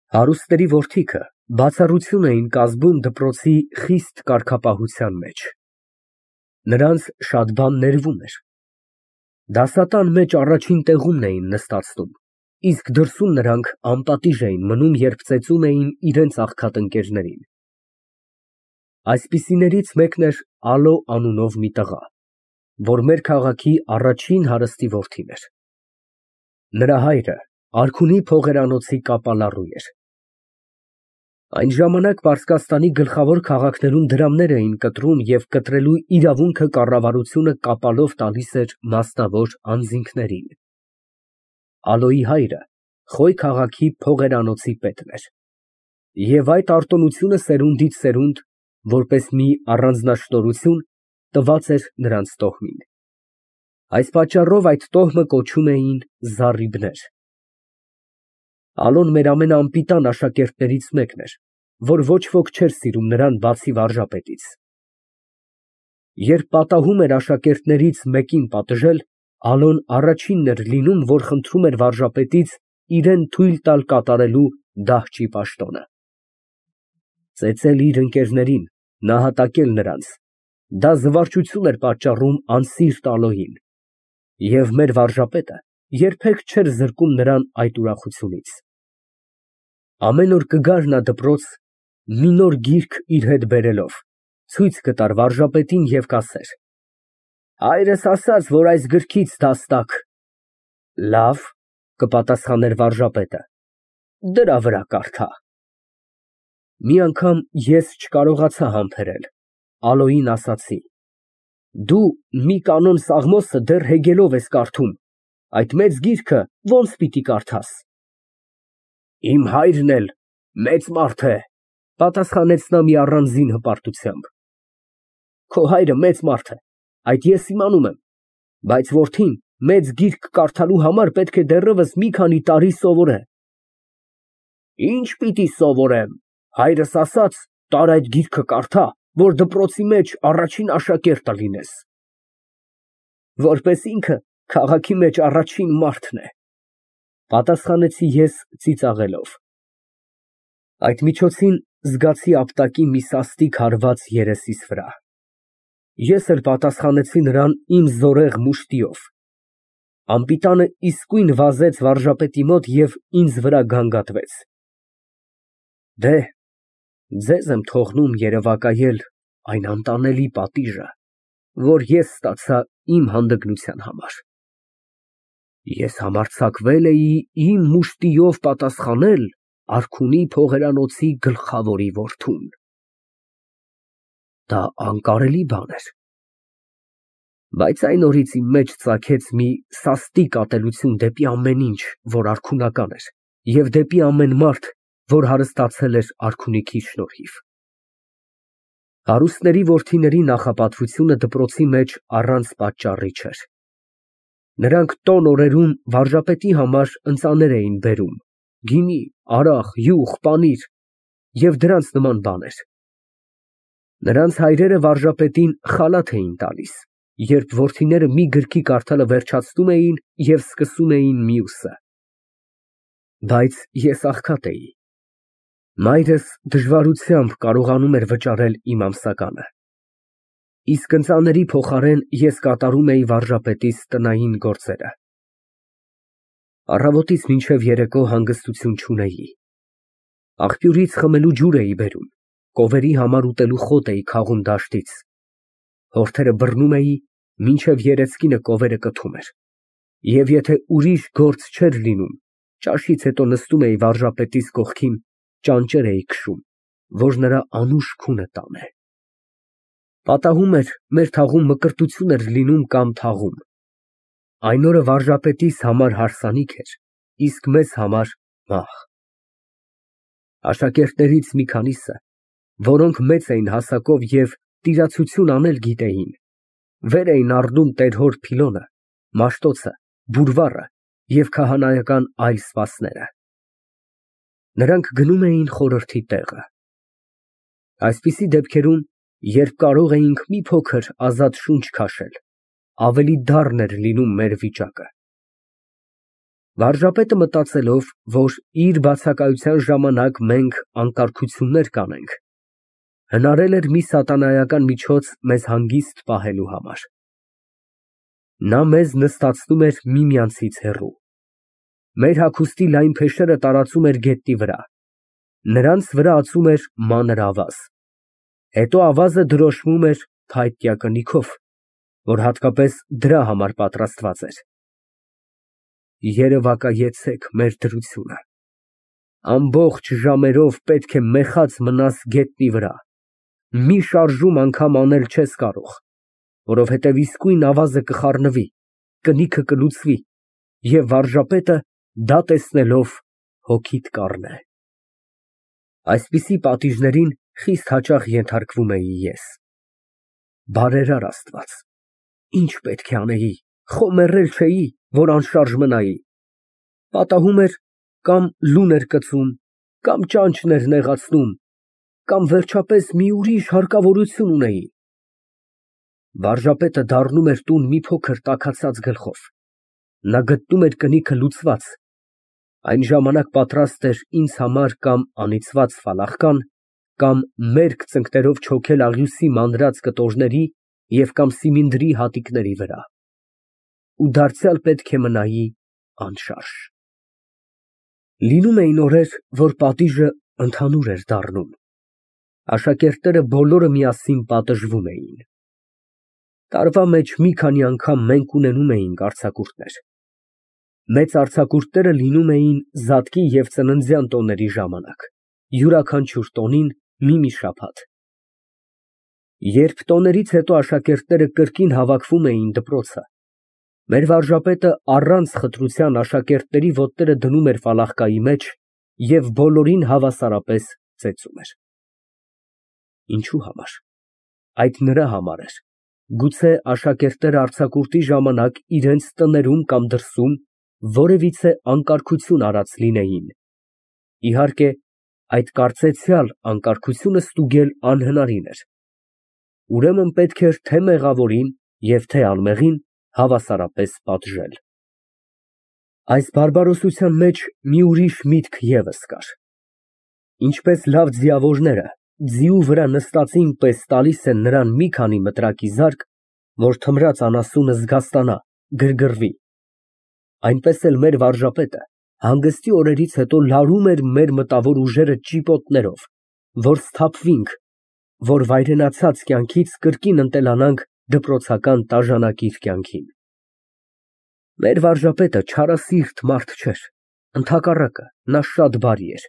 Հարուստների որդիքը բացառություն էին կազմում դպրոցի խիստ կարգապահության մեջ. նրանց շատ բան ներվում էր, դասատան մեջ առաջին տեղումն էին նստացնում, իսկ դրսում նրանք անպատիժ էին մնում, երբ ծեծում էին իրենց աղքատ-ընկերներին։ Այսպիսիներից մեկն էր Ալո անունով մի տղա, որ մեր քաղաքի առաջին հարստի որդին էր։ Նրա հայրը Արքունի փողերանոցի կապալառու էր։ Այն ժամանակ Պարսկաստանի գլխավոր քաղաքներում դրամներ էին կտրում և կտրելու իրավունքը կառավարությունը կապալով տալիս էր մասնավոր անձինքներին։ Ալոյի հայրը Խոյ քաղաքի փողերանոցի պետն էր, և այդ արտոնությունը սերունդից սերունդ, որպես մի առանձնաշնորհություն, տված էր նրանց տոհմին։ Այս պատճառով այդ տոհմը կոչում էին Զառիբներ։ Ալոն մեր ամենաանպիտան աշակերտներից մեկն էր, որ ոչ ոք չէր սիրում նրան, բացի վարժապետից։ Երբ պատահում էր աշակերտներից մեկին պատժել, Ալոն առաջինն էր լինում, որ խնդրում էր վարժապետից իրան թույլ տալ կատարելու դահճի պաշտոնը։ Ծեծել իր ընկերներին, նահատակել նրանց, դա զվարճություն էր պատճառում անսիրտ Ալոյին, և մեր վարժապետը երբեք չէր զրկում նրան այդ ուրախությունից։ Ամեն օր կգար նա դպրոց, մի նոր գիրք իր հետ բերելով, ցույց կտար վարժապետին և կասեր. «Հայրս ասաց, որ այս գրքից դաս տաք»։ «Լավ», կպատասխաներ վարժապետը, «դրա վրա կարդա»։ Մի անգամ ես չկարողացա համբերել, Ալոյին ասացի. «Դու մի կանոն Սաղմոսը դեռ հեգելով ես կարդում, այդ մեծ գիրքը ո՞նց պիտի կարդաս»։ «Իմ հայրն էլ մեծ մարդ է», պատասխանեց նա մի առանձին հպարտությամբ։ «Քո հայրը մեծ մարդ է, այդ ես իմանում եմ, բայց որդին մեծ գիրք կարդալու համար պետք է դեռևս մի քանի տարի սովորե»։ «Ինչ պիտի սովորեմ, հայրս ասաց, տար այդ գիրքը կարդա, որ դպրոցի մեջ առաջին աշակերտը լինես»։ «Որպես ինքը քաղաքի մեջ առաջին մարդն է», պատասխանեցի ես ծիծաղելով։ Այդ միջոցին զգացի ապտակի մի սաստիկ հարված երեսիս վրա։ Ես էլ պատասխանեցի նրան իմ զորեղ մուշտիով։ Անպիտանը իսկույն վազեց վարժապետի մոտ և ինձ վրա գանգատվեց։ Դե, ձեզ եմ թողնում երևակայել այն անտանելի պատիժը, որ ես ստացա իմ հանդգնության համար։ Ես համարձակվել էի իմ մուշտիով պատասխանել Արքունի փողերանոցի գլխավորի որդուն։ Դա անկարելի բան էր, բայց այն օրից իմ մեջ ծագեց մի սաստիկ ատելություն դեպի ամեն ինչ, որ արքունական էր, և դեպի ամեն մարդ, որ հարստացել էր արքունիքի շնորհիվ։ Հարուստների որդիների նախապատվությունը դպրոցի մեջ առանց պատճառի չէր։ Նրանք տոն օրերում վարժապետի համար ընծաներ էին բերում, գինի, արախ, յուղ, պանիր և դրանց նման բաներ։ Նրանց հայրերը վարժապետին խալաթ էին տալիս, երբ որդիները մի գրքի կարդալը վերջացնում էին և սկսում էին մյուսը։ Բայց ես աղքատ էի։ Մայրս դժվարությամբ կարողանում էր վճարել իմ ամսականը, իսկ ընծաների փոխարեն ես կատարում էի վարժապետիս տնային գործերը։ Առավոտից մինչև երեկո հանգստություն չունեի։ Աղբյուրից խմելու ջուր էի բերում, կովերի համար ուտելու խոտ էի քաղում դաշտից։ Հորթերը բռնում էի, մինչև երեսկինը կովերը կթում էր, և եթե ուրիշ գործ չէր լինում, ճաշից հետո նստում էի վարժապետիս կողքին, ճանճեր էի քշում, որ նրա անուշ քունը տանե։ Պատահում էր, մեր թաղում մկրտություն էր լինում կամ թաղում։ Այն օրը վարժապետիս համար հարսանիք էր, իսկ մեզ համար մահ։ Աշակերտներից մի քանիսը, որոնք մեծ էին հասակով և տիրացություն անել գիտեին, վեր էին առնում տեր֊հոր փիլոնը, մաշտոցը, բուրվառը և քահանայական այլ սպասները։ Նրանք գնում էին խորհրդի տեղը։ Այսպիսի դեպքերում, երբ կարող էինք մի փոքր ազատ շունչ քաշել, ավելի դառն էր լինում մեր վիճակը։ Վարժապետը մտածելով, որ իր բացակայության ժամանակ մենք անկարգություններ կանենք, հնարել էր մի սատանայական միջոց մեզ հանգիստ պահելու համար։ Նա մեզ նստացնում էր միմյանցից հեռու։ Մեր հագուստի լայն փեշերը տարածում էր գետնի վրա, նրանց վրա ածում էր մանր ավազ, հետո ավազը դրոշմում էր փայտյա կնիքով, որ հատկապես դրա համար պատրաստված էր։ Երևակայեցեք մեր դրությունը, ամբողջ ժամերով պետք է մեխած մնաս գետնի վրա, մի շարժում անգամ անել չես կարող, որովհետև իսկույն ավազը կխառնվի, կնիքը կլուծվի, և վարժապետը դա տեսնելով հոգիդ կառնե։ Այսպիսի պատիժներին խիստ հաճախ ենթարկվում էի ես։ Բարերար Աստված, ինչ պետք է անեի, խոմեռել չէի, որ անշարժ մնայի։ Պատահում էր կամ լուն էր կծում, կամ ճանճն էր նեղացնում, կամ վերջապես մի ուրիշ հարկավորություն ունեի։ Վարժապետը դառնում էր տուն մի փոքր տաքացած գլխով, նա գտնում էր կնիքը լուծված, այն ժամանակ պատրաստ էր ինձ համար կամ անիծված ֆալախկան, կամ մերկ ծնկներով չոքել աղյուսի մանրած կտորների և կամ սիմինդրի հատիկների վրա, ու դարձյալ պետք է մնայի անշարժ։ Լինում էին օրեր, որ պատիժը ընդհանուր էր դառնում, աշակերտները բոլորը միասին պատժվում էին։ Տարվա մեջ մի քանի անգամ մենք ունենում էինք արձակուրդներ։ Մեծ արձակուրդները լինում էին Զատկի և ծննդյան տոների ժամանակ, յուրաքանչյուր տոնին մի շաբաթ։ Երբ տոներից հետո աշակերտները կրկին հավաքվում էին դպրոցը, մեր վարժապետը առանց խտրության աշակերտների ոտները դնում էր ֆալախկայի մեջ և բոլորին հավասարապես ծեծում էր։ Ինչու համար։ Այդ նրա համար էր, գուցե աշակերտները արձակուրդի ժամանակ իրենց տներում կամ դրսում որևիցե անկարգություն արած լինեին։ Իհարկե, այդ կարծեցյալ անկարգությունը ստուգել անհնարին էր։ Ուրեմն պետք էր թե մեղավորին և թե անմեղին հավասարապես պատժել։ Այս բարբարոսության մեջ մի ուրիշ միտք ևս կար։ Ինչպես լավ ձիավորները ձիու վրա նստածին պես տալիս են նրան մի քանի մտրակի զարկ, որ թմրած անասունը զգաստանա, գրգռվի, այնպես էլ մեր վարժապետը հանգստի օրերից հետո լարում էր մեր մտավոր ուժերը ճիպոտներով, որ սթափվենք, որ վայրենացած կյանքից կրկին ընտելանանք դպրոցական տաժանակիր կյանքին։ Մեր վարժապետը չարասիրտ մարդ չէր, ընդհակառակը, նա շատ բարի էր։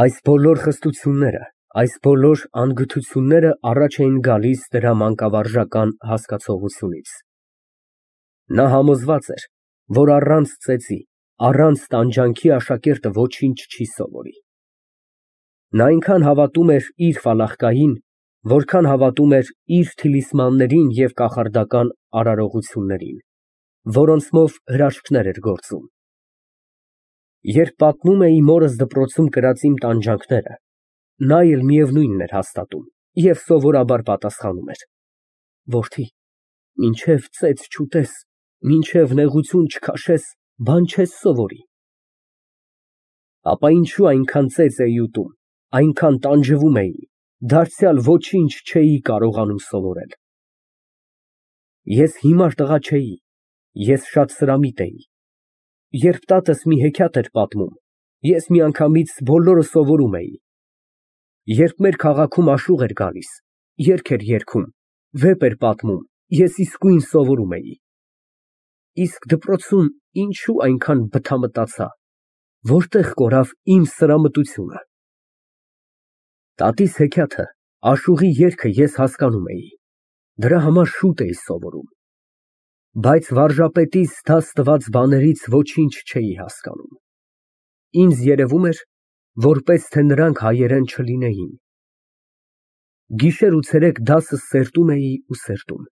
Այս բոլոր խստությունները, այս բոլոր անգթությունները առաջ էին գալիս դրա մանկավարժական հասկացողությունից։ Նա համոզված էր, որ առանց ծեծի, առանց տանջանքի աշակերտը ոչինչ չի սովորի։ Նա այնքան հավատում էր իր ֆալախկային, որքան հավատում էր իր թիլիսմաններին և կախարդական արարողություններին, որոնցմով հրաշքներ էր գործում։ Երբ պատմում էի մորս դպրոցում կրած իմ տանջանքները, նա էլ միևնույնն էր հաստատում և սովորաբար պատասխանում էր. Որդի, մինչև ծեծ չուտես, մինչև նեղություն չքաշես, բան չես սովորի։ Ապա ինչու այնքան ծեծ էի ուտում, այնքան տանջվում էի, դարձյալ ոչինչ չէի կարողանում սովորել։ Ես հիմար տղա չէի, ես շատ սրամիտ էի։ Երբ տատս մի հեքիաթ էր պատմում, ես միանգամից բոլորը սովորում էի։ Երբ մեր քաղաքում աշուղ էր գալիս, երգ էր երգում, վեպ էր պատմում, ես իսկույն սովորում էի։ Իսկ դպրոցում ինչու այնքան բթամտացա, որտեղ կորավ իմ սրամտությունը։ Տատիս հեքիաթը, աշուղի երգը ես հասկանում էի, դրա համար շուտ էի սովորում, բայց վարժապետիս դաս տված բաներից ոչինչ չէի հասկանում։ Ինձ երևում էր, որպես թե նրանք հայերեն չլինեին։ Գիշեր ու ցերեկ դասս սերտում էի ու սերտում,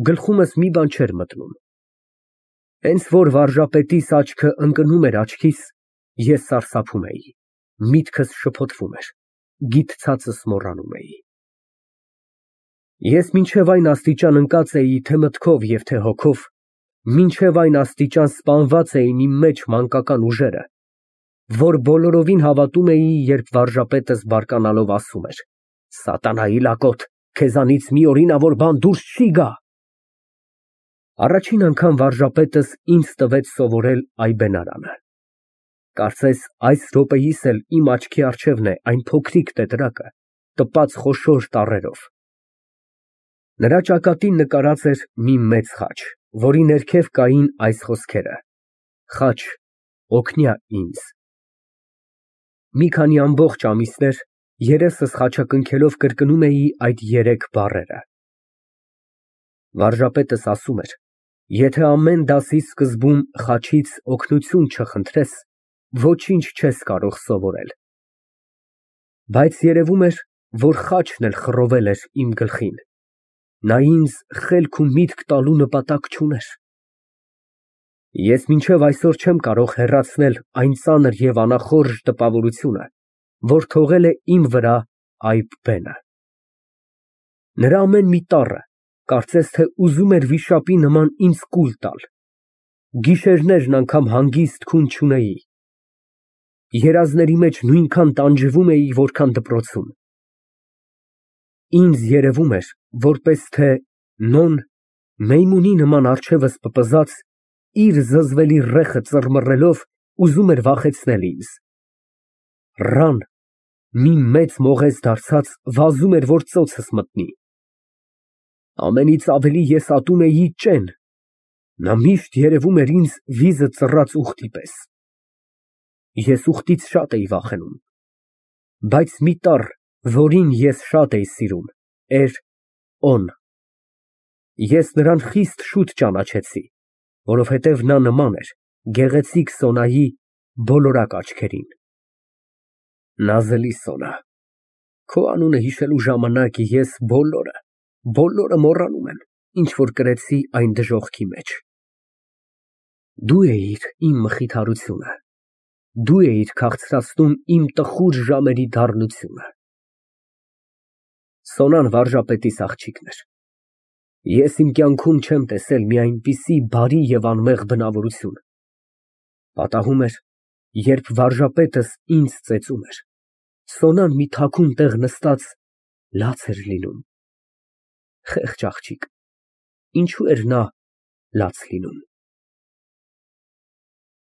գլխումս մի բան չէր մտնում։ Հենց որ վարժապետիս աչքը ընկնում էր աչքիս, ես սարսափում էի, միտքս շփոթվում էր, գիտցածս մոռանում էի։ Ես մինչև այն աստիճան ընկած էի թե մտքով և թե հոգով, Մինչև այն աստիճան սպանված էին իմ մեջ մանկական ուժերը, որ բոլորովին հավատում էի, երբ վարժապետս բարկանալով ասում էր. «Սատանայի լակոտ, քեզանից մի օրինավոր բան դուրս չի գա»։ Առաջին անգամ վարժապետս ինձ տվեց սովորել այբենարանը։ Կարծես այս րոպեիս էլ իմ աչքի առջևն է այն փոքրիկ տետրակը, տպած խոշոր տառերով։ Նրա ճակատին նկարած էր մի մեծ խաչ, որի ներքև կային այս խոսքերը. «Խաչ, օգնյա ինձ»։ Մի քանի ամբողջ ամիսներ երեսս խաչակնքելով կրկնում էի այդ երեք բառերը։ Վարժապետս ասում էր. «Եթե ամեն դասի սկզբում խաչից օգնություն չխնդրես, ոչինչ չես կարող սովորել»։ Բայց երևում էր, որ խաչն էլ խռովել էր իմ գլխին, նա ինձ խելք ու միտք տալու նպատակ չուներ։ Ես մինչև այսօր չեմ կարող հեռացնել այն ծանր և անախորժ տպավորությունը, որ թողել է իմ վրա այբ բենը։ Նրա ամեն մի տառը կարծես թե ուզում էր վիշապի նման ինձ կուլ տալ։ Գիշերներն անգամ հանգիստ քուն չունեի։ Երազների մեջ նույնքան տանջվում էի, որքան դպրոցում։ Ինձ երևում էր, որպես թե նոն, մեյմունի նման առջևս պպզած, իր զզվելի ռեխը ծռմռելով ուզում էր վախեցնել ինձ։ Ռան, մի մեծ մողես դարձած, վազում էր, որ ծոցս մտնի։ Ամենից ավելի ես ատում էի ճեն, նա միշտ երևում էր ինձ վիզը ծռած ուղտի պես։ Ես ուղտից շատ էի վախենում, բայց մի տառ, որին ես շատ էի սիրում, էր օն։ Ես նրան խիստ շուտ ճանաչեցի, որովհետև նա նման էր գեղեցիկ Սոնայի բոլորակ աչքերին։ Նազելի Սոնա, քո անունը հիշելու ժամանակ ես բոլորը մոռանում եմ, ինչ որ կրեցի այն դժոխքի մեջ։ Դու էիր իմ մխիթարությունը, դու էիր քաղցրացնում իմ տխուր ժամերի դառնությունը։ Սոնան վարժապետիս աղջիկն էր։ Ես իմ կյանքում չեմ տեսել մի այնպիսի բարի և անմեղ բնավորություն։ Պատահում էր, երբ վարժապետս ինձ ծեծում էր, Սոնան մի թաքուն տեղ նստած լաց էր լինում։ Խեղճ աղջիկ, ինչո՞ւ էր նա լաց լինում։